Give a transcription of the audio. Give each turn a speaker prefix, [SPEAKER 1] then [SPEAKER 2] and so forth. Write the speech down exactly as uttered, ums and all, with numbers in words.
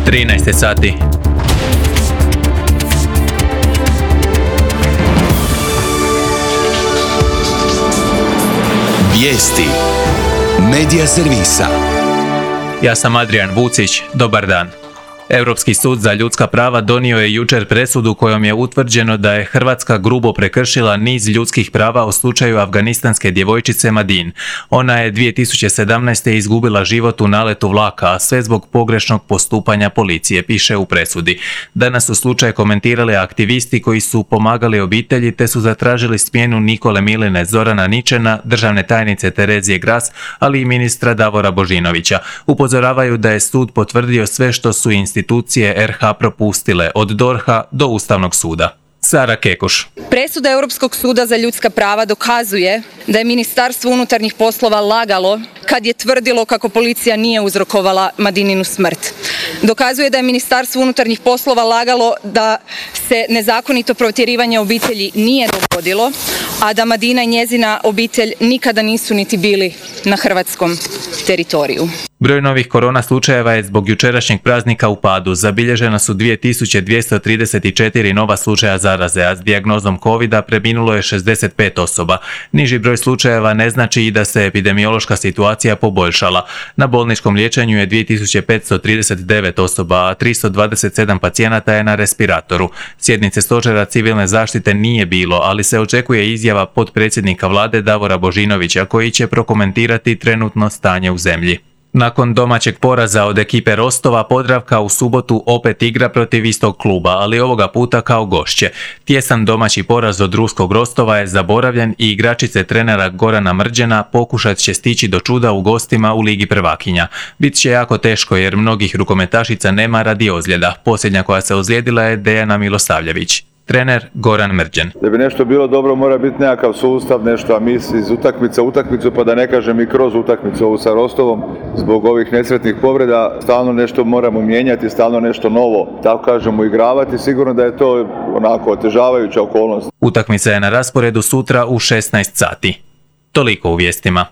[SPEAKER 1] trinaest sati.
[SPEAKER 2] Vijesti Medija servisa.
[SPEAKER 1] Ja sam Adrian Vucić, dobar dan. Europski sud za ljudska prava donio je jučer presudu kojom je utvrđeno da je Hrvatska grubo prekršila niz ljudskih prava u slučaju afganistanske djevojčice Madin. Ona je dvije tisuće sedamnaeste. izgubila život u naletu vlaka, a sve zbog pogrešnog postupanja policije, piše u presudi. Danas su slučaj komentirali aktivisti koji su pomagali obitelji te su zatražili smjenu Nikole Miline, Zorana Ničena, državne tajnice Terezije Gras, ali i ministra Davora Božinovića. Upozoravaju da je sud potvrdio sve što su institucije institucije er ha propustile, od dorha do Ustavnog suda. Sara Kekuš.
[SPEAKER 3] Presuda Europskog suda za ljudska prava dokazuje da je Ministarstvo unutarnjih poslova lagalo kad je tvrdilo kako policija nije uzrokovala Madininu smrt. Dokazuje da je Ministarstvo unutarnjih poslova lagalo da se nezakonito protjerivanje obitelji nije dogodilo, a da Madina i njezina obitelj nikada nisu niti bili na hrvatskom teritoriju.
[SPEAKER 1] Broj novih korona slučajeva je zbog jučerašnjeg praznika u padu. Zabilježena su dvije tisuće dvjesto trideset četiri nova slučaja zaraze, a s dijagnozom covida preminulo je šezdeset pet osoba. Niži broj slučajeva ne znači i da se epidemiološka situacija poboljšala. Na bolničkom liječenju je dvije tisuće petsto trideset devet osoba, a tristo dvadeset sedam pacijenata je na respiratoru. Sjednice stožera civilne zaštite nije bilo, ali se očekuje izjava potpredsjednika vlade Davora Božinovića koji će prokomentirati trenutno stanje u zemlji. Nakon domaćeg poraza od ekipe Rostova, Podravka u subotu opet igra protiv istog kluba, ali ovoga puta kao gošće. Tjesan domaći poraz od ruskog Rostova je zaboravljen i igračice trenera Gorana Mrđena pokušat će stići do čuda u gostima u Ligi prvakinja. Bit će jako teško jer mnogih rukometašica nema radi ozljeda. Posljednja koja se ozlijedila je Dejana Milosavljević. Trener Goran Mrđen.
[SPEAKER 4] Da bi nešto bilo dobro mora biti nekakav sustav, nešto, a mi iz utakmice u utakmicu, pa da ne kažem i kroz utakmicu ovu sa Rostovom, zbog ovih nesretnih povreda, stalno nešto moramo mijenjati, stalno nešto novo, tako kažemo, igravati. Sigurno da je to onako otežavajuća okolnost.
[SPEAKER 1] Utakmica je na rasporedu sutra u šesnaest sati. Toliko u vijestima.